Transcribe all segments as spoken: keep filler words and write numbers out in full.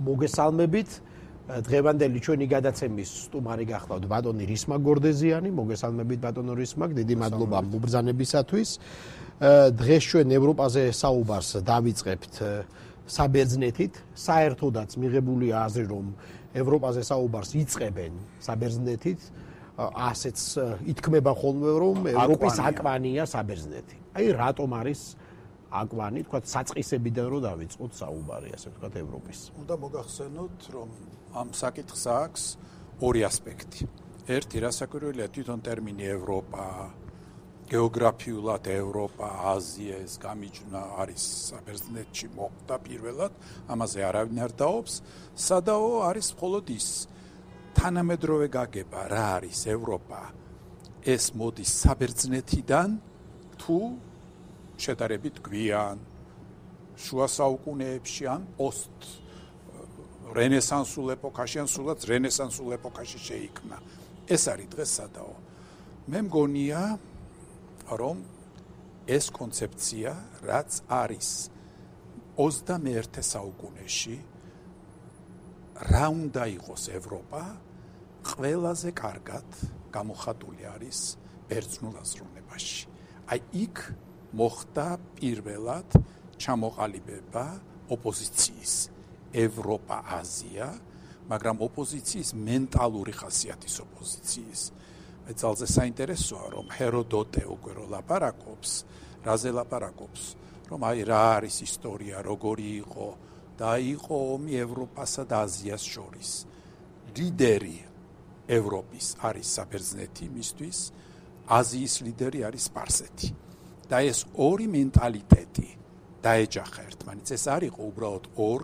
მოგესალმებით. დღევანდელი ჩვენი გადაცემის სტუმარი გახლავთ ბატონი რისმა გორდეზიანი. მოგესალმებით ბატონო რისმაკ, დიდი მადლობა მობრძანებისათვის. დღეს ჩვენ ევროპაზე საუბარს დავიწყებთ საბერძნეთით. საერთოდაც მიღებულია აზრი, რომ ევროპაზე საუბარს იწყებენ საბერძნეთით. ასეც ითქმება ხოლმე, რომ ევროპის აკვანია საბერძნეთი. აი რატომ არის აკვანი, თქვა საწყისებიდან რომ დავიწყოთ საუბარი, ასე თქვა ევროპის. უნდა მოგახსენოთ, რომ ამ საკითხს აქვს ორი ასპექტი. ერთი, რასაკვირველია, თვითონ ტერმინი ევროპა, გეოგრაფიულად ევროპა, აზია ეს გამიჯვნა არის საბერძნეთში მოხდა პირველად, ამაზე არავინ არ დაობს. სადაო არის მხოლოდ ის თანამედროვე გაგება, რა არის ევროპა. ეს მოდის საბერძნეთიდან თუ შედარებით გვიან შუა საუკუნეებში ან პოსტ რენესანსულ ეპოქაში ან სულაც რენესანსულ ეპოქაში შეიქმნა. ეს არის დღეს სადაო. მე მგონია, რომ ეს კონცეფცია, რაც არის ოცდამეერთე საუკუნეში, რა უნდა იყოს ევროპა, ყველაზე კარგად გამოხატული არის ბერძნულ აზროვნებაში. აი იქ მოხდა პირველად ჩამოყალიბება ოპოზიციის ევროპა-აზია, მაგრამ ოპოზიციის მენტალური ხასიათის ოპოზიციის. მე ძალზე საინტერესოა, რომ ჰეროდოტე უკვე რო ლაპარაკობს, რაზე ლაპარაკობს, რომ აი რა არის ისტორია, როგორი იყო და იყო ომი ევროპასა და აზიას შორის. ლიდერი ევროპის არის საბერძნეთი მისთვის, აზიის ლიდერი არის სპარსეთი. და ეს ორი მენტალიტეტი დაეჯახა ერთმანეთს. ეს არ იყო უბრალოდ ორ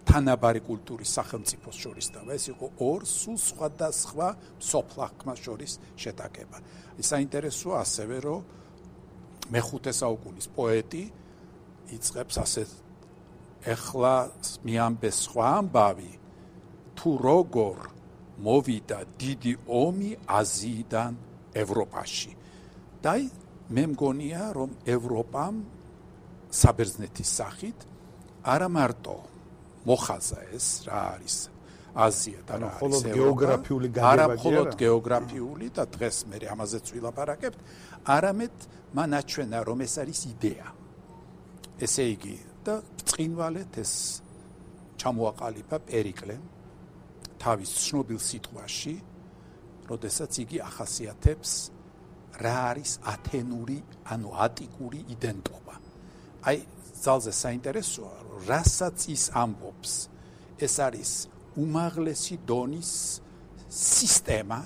თანაბარი კულტურის სახელმწიფოს შორის და ეს იყო ორ სულ სხვადასხვა სოფლახმას შორის შეტაკება. საინტერესოა ასევე, რომ მეხუთე საუკუნის პოეტი იწყებს ასეთ ეხლა მიამბეს სხვა ამბავი, თუ როგორ მოვიდა დიდი ომი აზიიდან ევროპაში. და მე მგონია, რომ ევროპამ საბერძნეთის სახით არა მარტო მოხაზა ეს რა არის აზია და რა არის გეოგრაფიული გაგება, არა მხოლოდ გეოგრაფიული და დღეს მე ამაზეც ვილაპარაკებთ, არამედ მან აჩვენა, რომ ეს არის იდეა. ესე იგი და ბრწყინვალედ ეს ჩამოაყალიბა პერიკლემ თავის ცნობილ სიტყვაში, როდესაც იგი ახასიათებს რა არის ათენური, ანუ ატიკური იდენტობა. აი ძალზე საინტერესოა, რომ რასაც ის ამბობს, ეს არის უმაღლესი დონის სისტემა,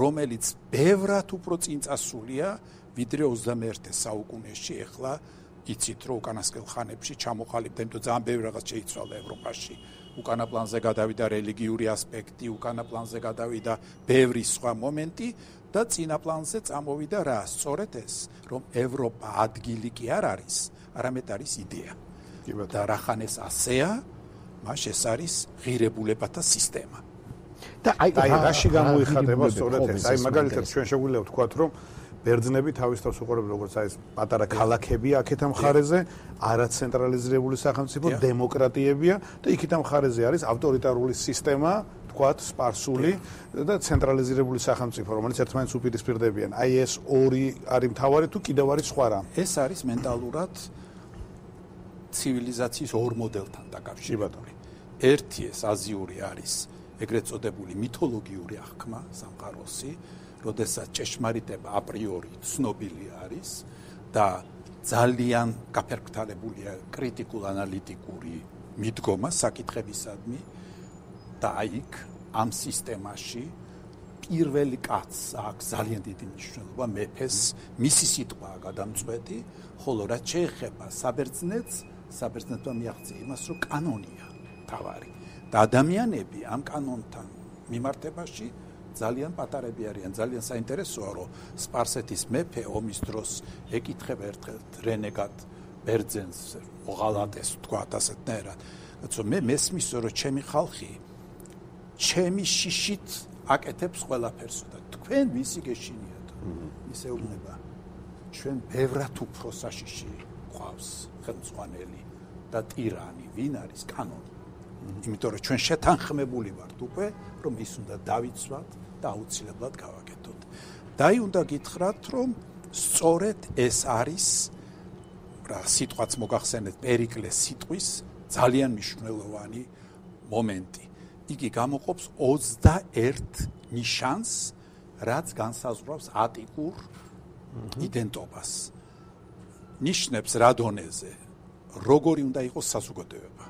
რომელიც ბევრად უფრო წინწასულია, ვიდრე ოცდამეერთე საუკუნეში. ეხლა იცით, რომ უკანასკნელ ხანებში ჩამოყალიბდა, იმიტომ ძალიან ბევრი რაღაც შეიცვალა ევროპაში. უკანა პლანზე გადავიდა რელიგიური ასპექტი, უკანა პლანზე გადავიდა ბევრი სხვა მომენტი და წინა პლანზე წამოვიდა რა? სწორედ ეს, რომ ევროპა ადგილი კი არ არის, არამედ არის იდეა. და რახან ეს ასეა, მას ეს არის ღირებულებათა სისტემა. და აი რაში გამოიხატება სწორედ ეს? აი მაგალითად ჩვენ შეგვიძლია ვთქვათ, რომ ბერძნები თავის თავს უყურებენ, როგორც აი ეს პატარა ქალაქებია აქეთ ამ მხარეზე, არაცენტრალიზებული სახელმწიფო, დემოკრატიებია და იქით ამ მხარეზე არის ავტორიტარული სისტემა, თქვათ, სპარსული და ცენტრალიზებული სახელმწიფო, რომელიც ერთმანეთს უპირისპირდებიან. აი ეს ორი არის მთავარი თუ კიდევ არის სხვა რამ? ეს არის მენტალურად ცივილიზაციის ორ მოდელთან დაკავშირებული. ერთი ეს აზიური არის ეგრეთ წოდებული მითოლოგიური აღქმა, სამყაროსი, როდესაც ჭეშმარიტება აპრიორი ცნობილი არის და ძალიან გაფერმტალებულია კრიტიკულ-ანალიტიკური მიდგომა საკითხებისადმი და აიქ ამ სისტემაში პირველი კაცს აქვს ძალიან დიდი მნიშვნელობა, მეფეს, მისი სიტყვაა გადამწყვეტი, ხოლო რაც შეეხება საბერძნეთს, საბერძნეთმა მიაღწია იმას, რომ კანონია თავარი და ადამიანები ამ კანონთან მიმართებაში ძალიან პატარები არიან. ძალიან საინტერესოა, რომ სპარსეთის მეფე ომის დროს ეკითხება ერთხელ რენეგატ ბერძენს, მოღალატეს, თქვათ ასეთნაირად. როცა მე მესმის, რომ ჩემი ხალხი ჩემი შიშით აკეთებს ყველაფერს და თქვენ ვისი გეშინიათ? ისე უნება. ჩვენ ბევრად უფრო საშიში გვყავს ხელმძღვანელი და ტირანი ვინ არის კანონი. იმიტომ რომ ჩვენ შეთანხმებული ვართ უკვე რომ ის უნდა დავიცვათ და აუცილებლად გავაკეთოთ. დაი უნდა გითხრათ რომ სწორედ ეს არის რა სიტყვაც მოგახსენეთ პერიკლეს სიტყვის ძალიან მნიშვნელოვანი მომენტი. იგი გამოყოფს ოცდაერთ ნიშანს, რაც განსაზღვრავს ატიკურ იდენტობას. ნიშნებს რა დონეზე, როგორი უნდა იყოს საზოგადოება,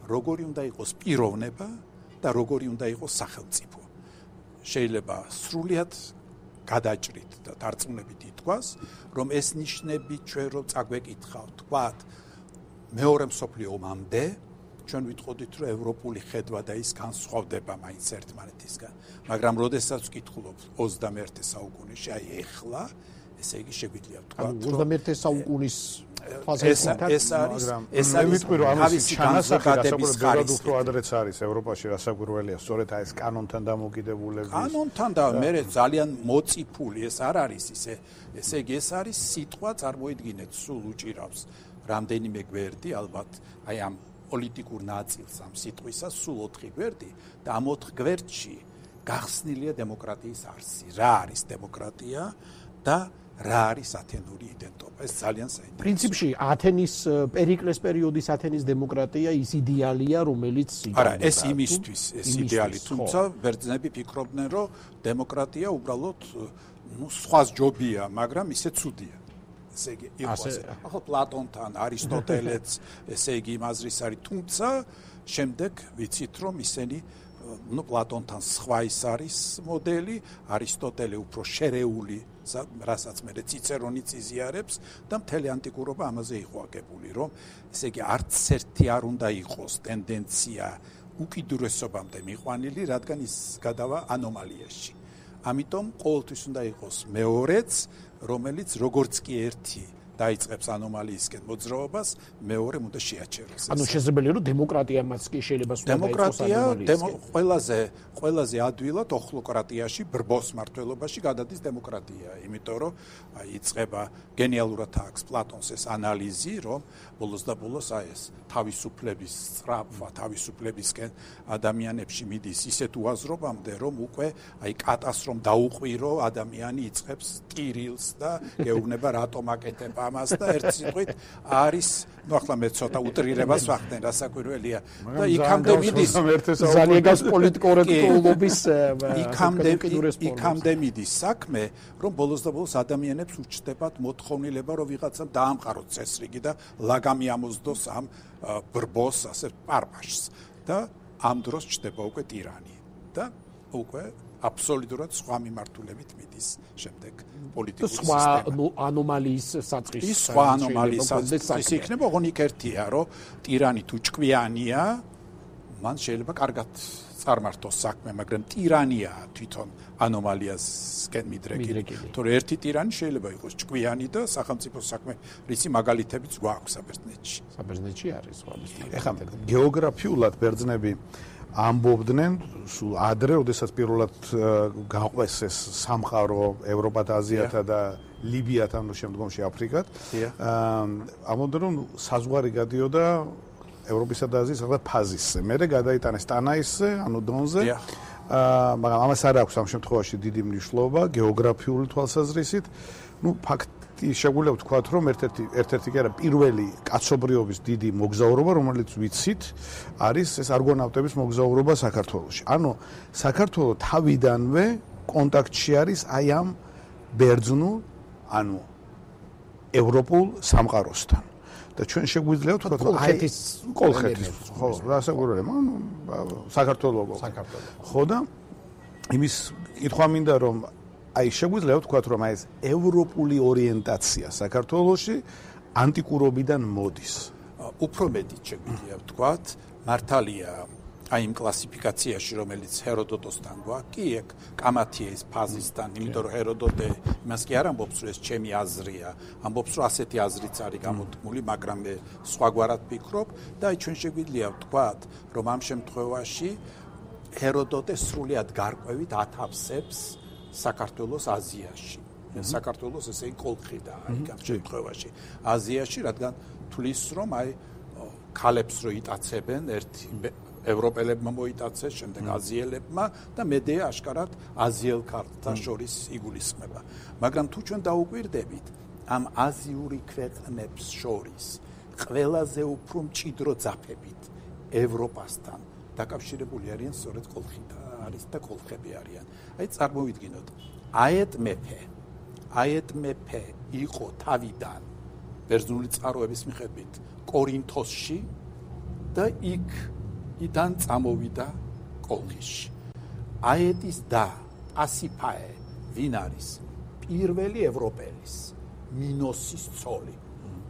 როგორი უნდა იყოს პიროვნება და როგორი უნდა იყოს სახელმწიფო. შეიძლება სრულიად გადაჭრით და დარწმუნებით ითქვას, რომ ეს ნიშნები ჩვენ რო წაგვეკითხავთ, თქვათ, მეორე მსოფლიო ომამდე ჩვენ ვიტყოდით, რომ ევროპული ხედვა და ის განსხვავდება მაინც ერთმანეთისგან, მაგრამ როდესაც ვკითხულობთ ოცდამეერთე საუკუნეში, აი ეხლა, ესე იგი შეგვიძლია ვთქვათ, რომ ოცდამეერთე საუკუნის ფაზაში ეს არის, ეს არის ვიტყვი რომ ამის ჩანასახადების ხარისხი უფრო ადრეც არის ევროპაში რასაკვირველია, სწორედ აი ეს კანონთან დამოკიდებულების. კანონთან და მე ძალიან მოწიფული ეს არ არის ისე, ესე იგი ეს არის სიტყვა, წარმოიდგინეთ, სულ უჭირავს რამდენიმე გვერდი, ალბათ აი ამ პოლიტიკურ ნაწილს ამ სიტყვისა სულ ოთხი გვერდი და ამ ოთხ გვერდში გახსნილია დემოკრატიის არსი. რა არის დემოკრატია და რა არის ათენური იდენტობა? ეს ძალიან საინტერესოა. პრინციპში ათენის პერიკლეს პერიოდის ათენის დემოკრატია ის იდეალია, რომელიც არა, ეს იმისთვის, ეს იდეალი, თუმცა ბერძნები ფიქრობდნენ, რომ დემოკრატია უბრალოდ ნუ სხვა ჯობია, მაგრამ ისე ცუდია. ესე იგი იყოს. ახლა პლატონთან, არისტოტელეც, ესე იგი იმაზრის არის, თუმცა შემდეგ ვიცით, რომ ისინი ნუ პლატონთან სხვა ის არის მოდელი, არისტოტელე უფრო შერეული, რასაც მე ციცერონიც იზიარებს და მთელი ანტიკურობა ამაზე იყო აგებული, რომ ესე იგი არც ერთი არ უნდა იყოს ტენდენცია უკიდურესობამდე მიყვანილი, რადგან ის გადავა ანომალიაში. ამიტომ ყოველთვის უნდა იყოს მეორეც, რომელიც როგორც კი ერთი დაიწყებს ანომალიისკენ მოძრაობას, მეორე უნდა შეაჩეროს. ანუ შესაძლებელია რომ დემოკრატიამაც კი შეიძლება სულ დაიწყოს ანომალიისკენ. დემოკრატია ყველაზე ყველაზე ადვილად ოხლოკრატიაში, ბრბოს მართლობაში გადადის დემოკრატია, იმიტომ რომ აი იწყება გენიალურად აქვს პლატონს ეს ანალიზი, რომ ბოლოს და ბოლოს აი ეს თავისუფლების სწრაფვა, თავისუფლებისკენ ადამიანებში მიდის ისეთ უაზრობამდე, რომ უკვე აი კატას რომ დაუყვირო, ადამიანი იწყებს ტირილს და გეუბნება რატომ აკეთებ ამას და ერთ სიტყვით არის, ну ახლა მე ცოტა უტრირებას ვახდენ, რასაკვირველია და იქამდე მიდის ძალიან გას პოლიტკორექტულობის იქამდე იქამდე მიდის საქმე, რომ ბოლოს და ბოლოს ადამიანებს უჩნდებათ მოთხოვნილება, რომ ვიღაცამ დაამყაროს წესრიგი და ლაგამი ამოსდოს ამ ბრბოს ასე პარპაშს და ამ დროს ჩნდება უკვე ტირანი და უკვე აბსოლუტურად სხვა მიმართულებით მიდის შემდეგ პოლიტიკური სისტემა. სხვა ანომალიის საწყის. ის სხვა ანომალიის საწყის იქნება, ოღონდ ერთია, რომ ტირანი თუ ჭკვიანია, მან შეიძლება კარგად წარმართოს საქმე, მაგრამ ტირანია თვითონ ანომალიასკენ მიდრეკილი. თორე ერთი ტირანი შეიძლება იყოს ჭკვიანი და სახელმწიფო საქმე, რისი მაგალითებიც გვაქვს საბერძნეთში. საბერძნეთში არის სხვა მისტიკა. ეხლა გეოგრაფიულად ბერძნები ამბობდნენ სულ ადრე, როდესაც პირველად გაყვეს ეს სამყარო ევროპათ, აზიათა და ლიბიათან, შემდგომში აფრიკათ. ამბობდნენ, რომ საზღვარი გადიოდა ევროპისა და აზიის ახლა ფაზისზე. მერე გადაიტანეს ტანაისზე, ანუ დონზე. მაგრამ ამას არ აქვს ამ შემთხვევაში დიდი მნიშვნელობა გეოგრაფიული თვალსაზრისით. ნუ ფაქტი შეგვიძლია ვთქვათ, რომ ერთ-ერთი ერთ-ერთი კი არა, პირველი კაცობრიობის დიდი მოგზაურობა, რომელიც ვიცით, არის ეს არგონავტების მოგზაურობა საქართველოში. ანუ საქართველო თავიდანვე კონტაქტში არის აი ამ ბერძნულ, ანუ ევროპულ სამყაროსთან. და ჩვენ შეგვიძლია ვთქვათ, რომ აი კოლხეთის, ხო, რასაკვირველია, ანუ საქართველოს. ხო და იმის კითხვა მინდა, რომ აი შეგვიძლია ვთქვათ, რომ აი ეს ევროპული ორიენტაცია საქართველოში ანტიკურობიდან მოდის. უფრო მეტიც შეგვიძლია ვთქვათ, მართალია აი იმ კლასიფიკაციაში, რომელიც ჰეროდოტოსთან გვაქვს, კი ეგ კამათია ის ფაზისთან, იმიტომ რომ ჰეროდოტე იმას კი არ ამბობს, რომ ეს ჩემი აზრია, ამბობს, რომ ასეთი აზრიც არის გამოთქმული, მაგრამ მე სხვაგვარად ვფიქრობ და აი ჩვენ შეგვიძლია ვთქვათ, რომ ამ შემთხვევაში ჰეროდოტე სრულიად გარკვევით ათავსებს საქართველოს აზიაში. საქართველოს ესე იგი კოლხიდა, აი ამ შემთხვევაში აზიაში, რადგან თulis რომ აი ქალებს რო იტაცებენ, ერთი ევროპელებმა მოიტაცეს, შემდეგ აზიელებმა და მედია აშკარად აზიელ ქალთა შორის იგულისხმება. მაგრამ თუ ჩვენ დაუკვირდებით, ამ აზიური ქვეყნებს შორის ყველაზე უფრო მჭიდრო ძაფებით ევროპასთან დაკავშირებული არიან სწორედ კოლხითა არის და კოლხები არიან. აი წარმოვიდგინოთ, აეთ მეფე, აეთ მეფე იყო თავიდან ბერძნული წყაროების მიხედვით კორინთოსში და იქ იდან წამოვიდა კოლხიში. აეთის და პასიფაე ვინ არის? პირველი ევროპელის მინოსის ცოლი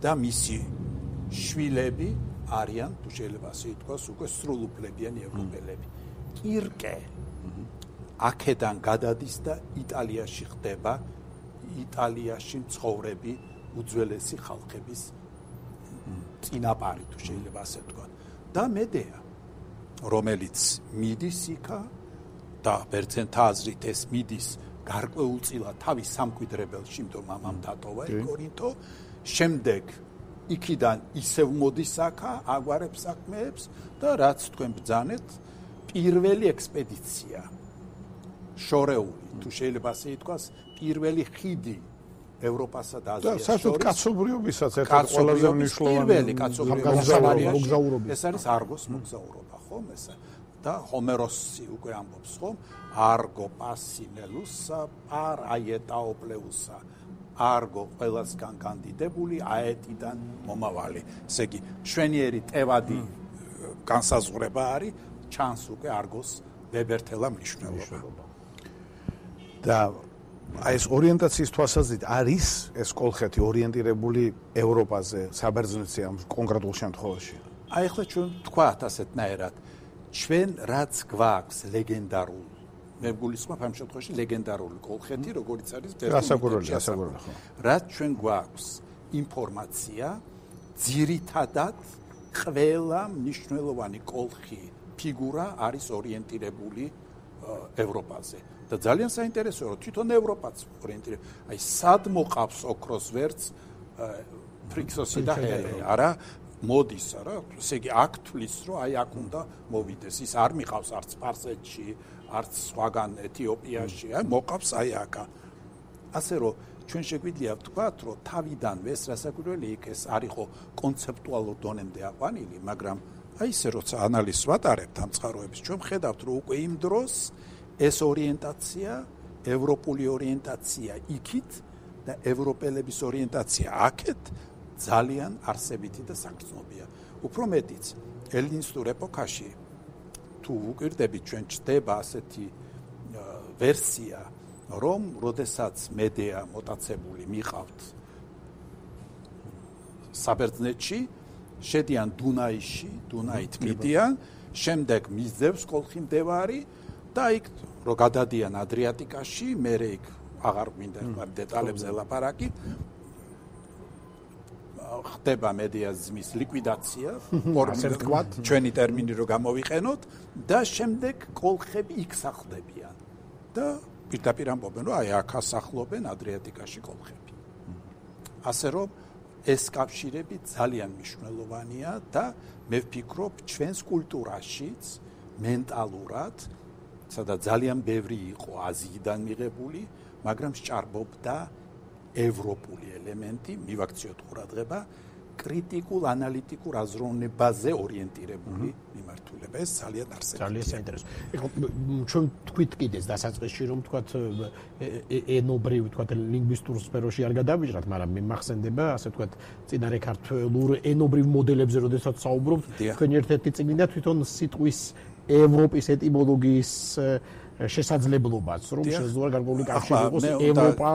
და მისი შვილები არიან, თუ შეიძლება ასე ითქვას, უკვე სრულუფლებიანი ევროპელები. კირკე აქედან გადადის და იტალიაში ხდება იტალიაში მცხოვრები უძველესი ხალხების წინაპარი, თუ შეიძლება ასე ვთქვა. და მედეა, რომელიც მიდის იქა და ბერძენთა აზრით ეს მიდის გარკვეულწილად თავის სამკვიდრებელში, იმიტომ მამამ დატოვა კორინთო, შემდეგ იქიდან ისევ მოდის აქა, აგვარებს საქმეებს და რაც თქვენ ბრძანეთ, პირველი ექსპედიცია შორეული, თუ შეიძლება ასე ითქვას, პირველი ხიდი ევროპასა და აზიას შორის. და საერთოდ კაცობრიობისაც ერთ-ერთი ყველაზე მნიშვნელოვანი პირველი კაცობრიობის ეს არის არგოს მოგზაურობა, ხომ ესა? და ჰომეროსი უკვე ამბობს, ხომ? არგო პასინელუსა პარ აეტაოპლეუსა. არგო ყველასგან კანდიდებული, აეტიდან მომავალი. ესე იგი, შვენიერი ტევადი განსაზღვრება არის, ჩანს უკვე არგოს ბებერთელა მნიშვნელობა. და აი ეს ორიენტაციის თვალსაზრისით არის ეს კოლხეთი ორიენტირებული ევროპაზე, საბერძნეთზე ამ კონკრეტულ შემთხვევაში. აი ახლა ჩვენ თქვათ ასეთნაირად, ჩვენ რაც გვაქვს ლეგენდარულ, მე გულისხმობ ამ შემთხვევაში ლეგენდარული კოლხეთი, როგორც არის გასაგურებელი, გასაგურებელი ხო. რაც ჩვენ გვაქვს ინფორმაცია, ძირითადად ყველა მნიშვნელოვანი კოლხი ფიგურა არის ორიენტირებული ევროპაზე. და ძალიან საინტერესოა, რომ თვითონ ევროპაც ორიენტირებული. აი სად მოყავს ოქროს ვერც ფრიქსოსი და ჰელე, არა? მოდის, არა? ესე იგი აქ თulis, რომ აი აქ უნდა მოვიდეს. ის არ მიყავს არც სპარსეთში, არც სხვაგან ეთიოპიაში, აი მოყავს აი აქა. ასე რომ ჩვენ შეგვიძლია ვთქვათ, რომ თავიდანვე ეს რასაკვირველი იქ ეს არისო კონცეპტუალურ დონემდე აყვანილი, მაგრამ აი ესე როცა ანალიზს ვატარებთ ამ წყაროების, ჩვენ ხედავთ, რომ უკვე იმ დროს ეს ორიენტაცია, ევროპული ორიენტაცია იქით და ევროპელების ორიენტაცია აქეთ ძალიან არსებითი და საგრძნობია. უფრო მეტიც, ელინისტურ ეპოქაში თუ ვუკვირდებით, ჩვენ ჩდება ასეთი ვერსია, რომ როდესაც მედეა მოტაცებული მიყავთ საბერძნეთში, შედიან დუნაიში, დუნაით მიდიან, შემდეგ მისდევს კოლხი მდევარი და იქ რო გადადიან ადრიატიკაში, მერე იქ აღარ გვინდა დეტალებზე ლაპარაკი, ხდება მედიაზმის ლიკვიდაცია, ასე ვთქვათ, ჩვენი ტერმინი რო გამოვიყენოთ და შემდეგ კოლხები იქ სახლდებიან და პირდაპირ ამბობენ, რომ აი აქ ასახლობენ ადრიატიკაში კოლხები. ასე რომ ეს კავშირები ძალიან მნიშვნელოვანია და მე ვფიქრობ, ჩვენს კულტურაშიც მენტალურად, სადაც ძალიან ბევრი იყო აზიიდან მიღებული, მაგრამ სჭარბობდა ევროპული ელემენტი, მივაქციოთ ყურადღება, კრიტიკულ ანალიტიკურ აზროვნებაზე ორიენტირებული მიმართულება. ეს ძალიან არსებითია. ძალიან საინტერესო. ეხლა ჩვენ თქვით კიდეც დასაწყისში, რომ თქვათ ენობრივ, თქვათ ლინგვისტურ სფეროში არ გადავიჟრათ, მაგრამ მე მახსენდება, ასე თქვათ, წინარე ქართულ ენობრივ მოდელებზე, როდესაც საუბრობთ, თქვენ ერთ-ერთი წიგნი და თვითონ სიტყვის ევროპის ეტიმოლოგიის შესაძლებლობაც, რომ შესაძლოა გარკვეული კავშირი იყოს ევროპა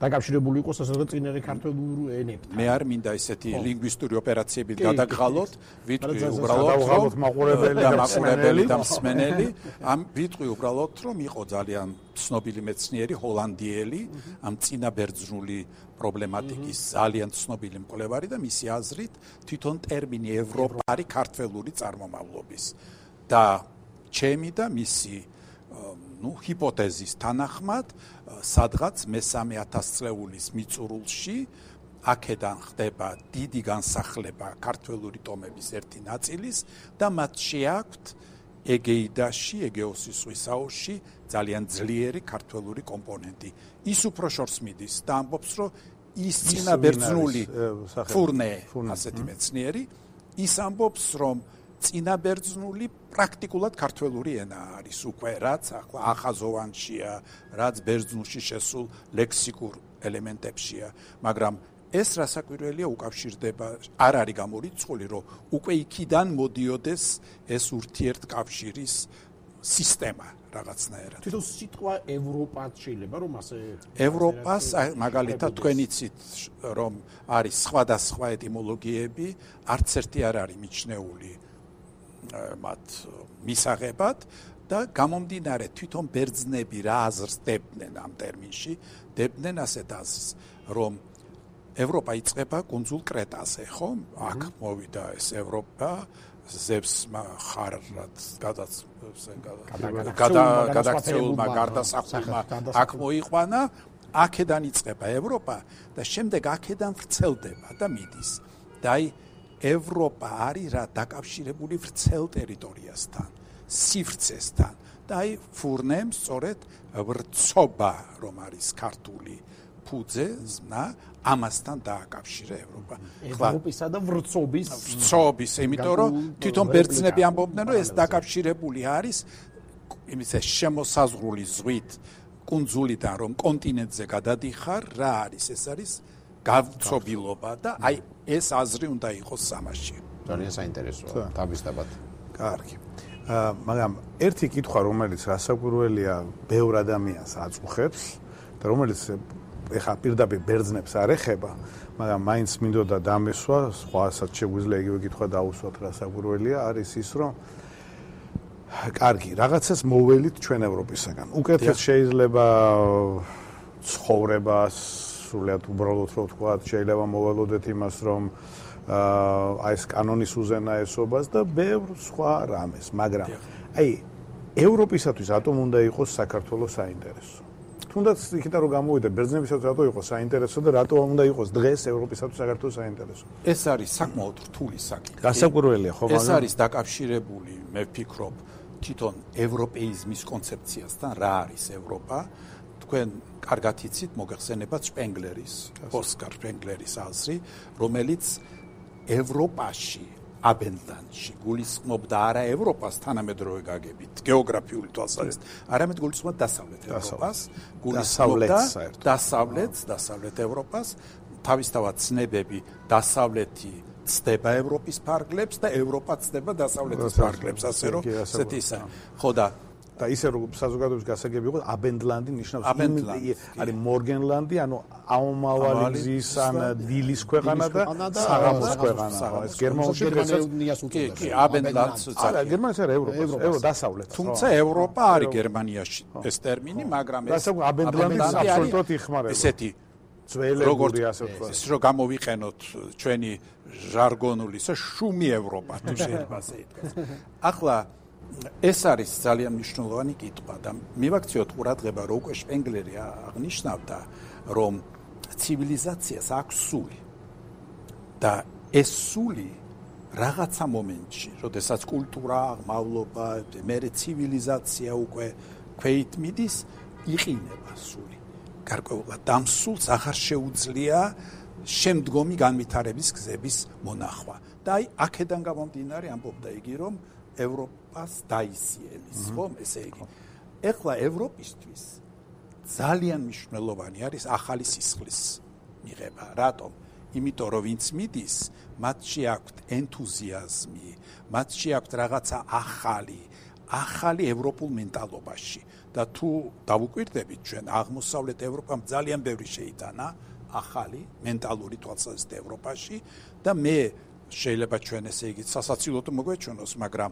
დაკავშირებული იყოს ასე რომ წინარე ქართულ ენებთან. მე არ მინდა ესეთი ლინგვისტური ოპერაციებით გადაგღალოთ, ვიტყვი უბრალოდ მაყურებელი და მსმენელი, ამ ვიტყვი უბრალოდ რომ იყო ძალიან ცნობილი მეცნიერი ჰოლანდიელი, ამ წინაბერძნული პრობლემატიკის ძალიან ცნობილი მკვლევარი და მისი აზრით თვითონ ტერმინი ევროპა არის ქართველური წარმომავლობის. და ჩემი და მისი ну ჰიპოთეზის თანახმად სადღაც მესამე ათასწლეულის მიწურულში აქედან ხდება დიდი განსახლება ქართველური ტომების ერთი ნაწილის და მათ შეაქვთ ეგეიდაში, ეგეოსის ზღვის აუზში ძალიან ძლიერი ქართველური კომპონენტი. ის უფრო შორს მიდის და ამბობს, რომ ის წინაბერძნული ფურნე, ასეთი მეცნიერი, ის ამბობს, რომ წინაბერძნული პრაქტიკულად ქართველური ენა არის უკვე, რაც ახლა ახაზოვანშია, რაც ბერძნულში შესულ ლექსიკურ ელემენტებშია, მაგრამ ეს რასაკვირველია უკავშირდება, არ არის გამორიცხული, რომ უკვე იქიდან მოდიოდეს ეს ურთიერთკავშირის სისტემა რაღაცნაირად. თვითონ სიტყვა ევროპაც შეიძლება რომ ასე ევროპას მაგალითად თქვენ იცით რომ არის სხვადასხვა ეტიმოლოგიები, არც ერთი არ არის მიჩნეული მათ მისაღებად და გამომდინარე თვითონ ბერძნები რა აზრს დებდნენ ამ ტერმინში, დებდნენ ასეთ აზრს, რომ ევროპა იწყება კუნძულ კრეტაზე, ხო? აქ მოვიდა ეს ევროპა, ზევსმა ხარად გადაგაქცეულმა გარდასახულმა აქ მოიყვანა, აქედან იწყება ევროპა და შემდეგ აქედან ვრცელდება და მიდის. და აი ევროპა არის რა დაკავშირებული ვრცელ ტერიტორიასთან, სივრცესთან და აი ფურნემ სწორედ ვრცობა რომ არის ქართული ფუძე, ზნა, ამასთან დააკავშირა ევროპა. ევროპისა და ვრცობის ვრცობის, იმიტომ რომ თვითონ ბერძნები ამბობდნენ, რომ ეს დაკავშირებული არის იმის შემოსაზღვრული ზღვით კუნძულიდან რომ კონტინენტზე გადადიხარ, რა არის? ეს არის გავცობილობა და აი ეს აზრი უნდა იყოს სამაში. ძალიან საინტერესოა, თავისთავად. კარგი. მაგრამ ერთი კითხვა, რომელიც რასაკვირველია, ბევრ ადამიანს აწუხებს და რომელიც ეხა პირდაპირ ბერძნებს არ ეხება, მაგრამ მაინც მინდოდა დამესვა, სხვასაც შეგვიძლია იგივე კითხვა დაუსვათ, რასაკვირველია, არის ის, რომ კარგი, რაღაცას მოველით ჩვენ ევროპისაგან. უკეთეს შეიძლება ცხოვრებას, სრულიად უბრალოდ რო ვთქვათ, შეიძლება მოველოდეთ იმას, რომ აი ეს კანონის უზენაესობას და ბევრ სხვა რამეს, მაგრამ აი ევროპისათვის რატომ უნდა იყოს საქართველოს საინტერესო? თუნდაც იქიდან რომ გამოვიდა ბერძნებისათვის რატო იყო საინტერესო და რატო უნდა იყოს დღეს ევროპისათვის საქართველოს საინტერესო? ეს არის საკმაოდ რთული საკითხი. გასაკვირველია ხო, მაგრამ ეს არის დაკავშირებული, მე ვფიქრობ, თვითონ ევროპეიზმის კონცეფციასთან, რა არის ევროპა. თქვენ კარგად იცით, მოგეხსენებათ შპენგლერის, ოსკარ შპენგლერის აზრი, რომელიც ევროპაში აბენდანში გულისხმობდა არა ევროპას თანამედროვე გაგებით, გეოგრაფიული თვალსაზრისით, არამედ გულისხმობდა დასავლეთ ევროპას, გულისხმობდა დასავლეთს, დასავლეთ ევროპას, თავისთავად ცნებები დასავლეთი ცდება ევროპის ფარგლებს და ევროპა ცდება დასავლეთის ფარგლებს, ასე რომ ესეთი ისა. ხო და და ისე რომ საზოგადოების გასაგები იყო აბენდლანდი ნიშნავს არის მორგენლანდი, ანუ აუმავალი გზის ან დილის ქვეყანა და საღამოს ქვეყანა. ეს გერმანიაში გერმანიას უწოდებს. კი, აბენდლანდს არა, გერმანიაში არა, ევროპას, ევროპა დასავლეთ. თუმცა ევროპა არის გერმანიაში ეს ტერმინი, მაგრამ ეს აბენდლანდი აბსოლუტურად იხმარება. ესეთი ძველებური ასე ვთქვათ. ეს რომ გამოვიყენოთ ჩვენი ჟარგონული, ეს შუმი ევროპა თუ შეიძლება ასე ითქვას. ახლა ეს არის ძალიან მნიშვნელოვანი კითხვა და მივაქციოთ ყურადღება, რომ უკვე შპენგლერი აღნიშნავდა, რომ ცივილიზაციას აქვს სული და ეს სული რაღაცა მომენტში, როდესაც კულტურა, აღმავლობა, მერე ცივილიზაცია უკვე ქვეით მიდის, იყინება სული. გარკვეულად ამ სულს აღარ შეუძლია შემდგომი განვითარების გზების მონახვა. და აი აქედან გამომდინარე ამბობდა იგი, რომ ევროპას დაისიელის, ხომ, ესე იგი. ეხლა ევროპისთვის ძალიან მნიშვნელოვანი არის ახალი სისხლის მიღება. რატომ? იმიტომ რომ ვინც მიდის, მათში აქვთ ენთუზიაზმი, მათში აქვთ რაღაცა ახალი, ახალი ევროპულ მენტალობაში. და თუ დავუკვირდებით ჩვენ აღმოსავლეთ ევროპამ ძალიან ბევრი შეიტანა ახალი მენტალური თვალსაზრისით ევროპაში და მე შეიძლება ჩვენ ესე იგი სასაცილოდ მოგვეჩვენოს, მაგრამ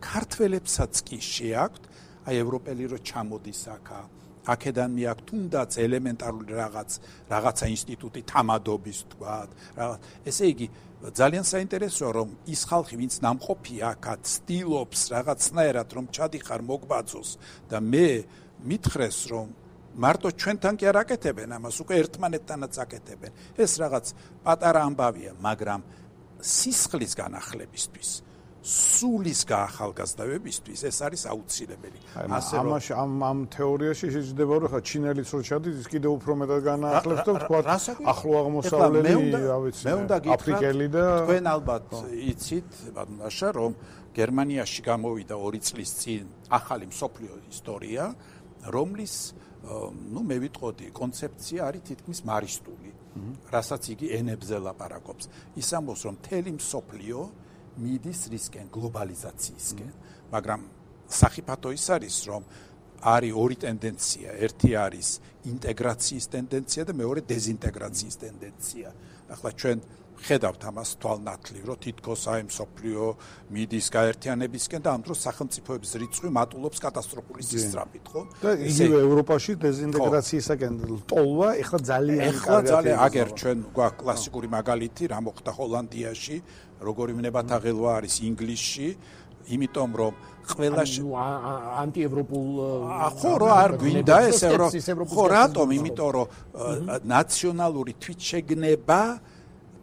ქართველებსაც კი შეაქვთ აი ევროპელი რო ჩამოდის აქა, აქედან მიაქვთ თუნდაც ელემენტარული რაღაც, რაღაცა ინსტიტუტი თამადობის თქვათ, რაღაც. ესე იგი ძალიან საინტერესოა, რომ ის ხალხი, ვინც ნამყოფია აქა, ცდილობს რაღაცნაირად რომ ჩადიხარ მოგბაძოს და მე მითხრეს, რომ მარტო ჩვენთან კი არ აკეთებენ ამას, უკვე ერთმანეთთანაც აკეთებენ. ეს რაღაც პატარა ამბავია, მაგრამ სისხლის განახლებისთვის, სულის გაახალგაზრდავებისთვის ეს არის აუცილებელი. ასე რომ ამაში ამ ამ თეორიაში შეიძლება რომ ხა ჩინელიც რო ჩადის, ის კიდევ უფრო მეტად განაახლებს და თქვა ახლო აღმოსავლელი, რა ვიცი, აფრიკელი და თქვენ ალბათ იცით, ბატონაშა, რომ გერმანიაში გამოვიდა ორი წლის წინ ახალი მსოფლიო ისტორია, რომლის ну მე ვიტყოდი კონცეფცია არის თითქმის მარისტული, რასაც იგი ენებზე ლაპარაკობს. ის ამბობს, რომ მთელი მსოფლიო მიდის რისკენ გლობალიზაციისკენ, მაგრამ სახიფათო ის არის, რომ არის ორი ტენდენცია, ერთი არის ინტეგრაციის ტენდენცია და მეორე დეზინტეგრაციის ტენდენცია. ახლა ჩვენ ხედავთ ამას თვალნათლივ, რომ თითქოს აი მსოფლიო მიდის გაერთიანებისკენ და ამ დროს სახელმწიფოების რიცხვი მატულობს კატასტროფული სისწრაფით, ხო? და იგივე ევროპაში დეზინტეგრაციისაკენ ტოლვა, ეხლა ძალიან ეხლა ძალიან აგერ ჩვენ გვაქვს კლასიკური მაგალითი, რა მოხდა ჰოლანდიაში, როგორი ვნებათაღელვა არის ინგლისში, იმიტომ რომ ყველა ანტიევროპულ ხო რა არ გვინდა ეს ევროპა ხო რატომ იმიტომ რომ ნაციონალური თვითშეგნება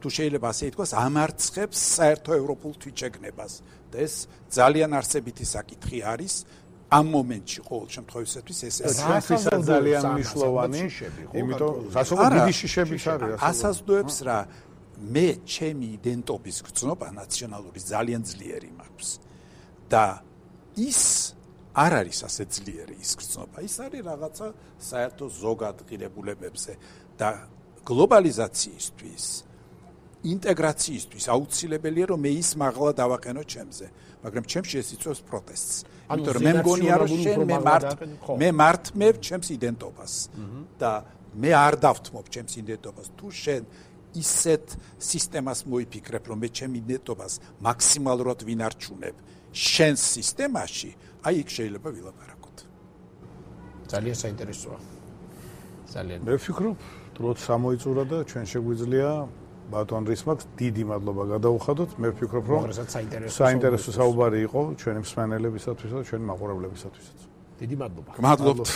თუ შეიძლება ასე ითქვას ამარცხებს საერთო ევროპულ თვითშეგნებას და ეს ძალიან არსებითი საკითხი არის ამ მომენტში ყოველ შემთხვევისათვის ეს ჩვენთვის ძალიან მნიშვნელოვანი იმიტომ სასწავლო დიდი შიშებიც არის ასაზრდოებს რა მე ჩემი იდენტობის გრძნობა ნაციონალური ძალიან ძლიერი მაქვს და ის არ არის ასე ძლიერი ის გრძნობა ის არის რაღაცა საერთო ზოგად ღირებულებებზე და გლობალიზაციისთვის ინტეგრაციისთვის აუცილებელია რომ მე ის მაღლა დავაყენო ჩემზე მაგრამ ჩემში ეს იწვევს პროტესტს იმიტომ რომ მე მგონია რომ შენ მე მართ მე მართმევ ჩემს იდენტობას და მე არ დავთმობ ჩემს იდენტობას თუ შენ ისეთ სისტემას მოიფიქრებ რომ მე ჩემ იდენტობას მაქსიმალურად ვინარჩუნებ შენს სისტემაში აი იქ შეიძლება ვილაპარაკოთ ძალიან საინტერესოა ძალიან მე ვფიქრობ დროც სამოიწურა და ჩვენ შეგვიძლია ბატონ რისმაკს დიდი მადლობა გადაუხადოთ მე ვფიქრობ რომ საინტერესო საუბარი იყო ჩვენი მსმენელებისათვის და ჩვენი მაყურებლებისათვისაც დიდი მადლობა მადლობთ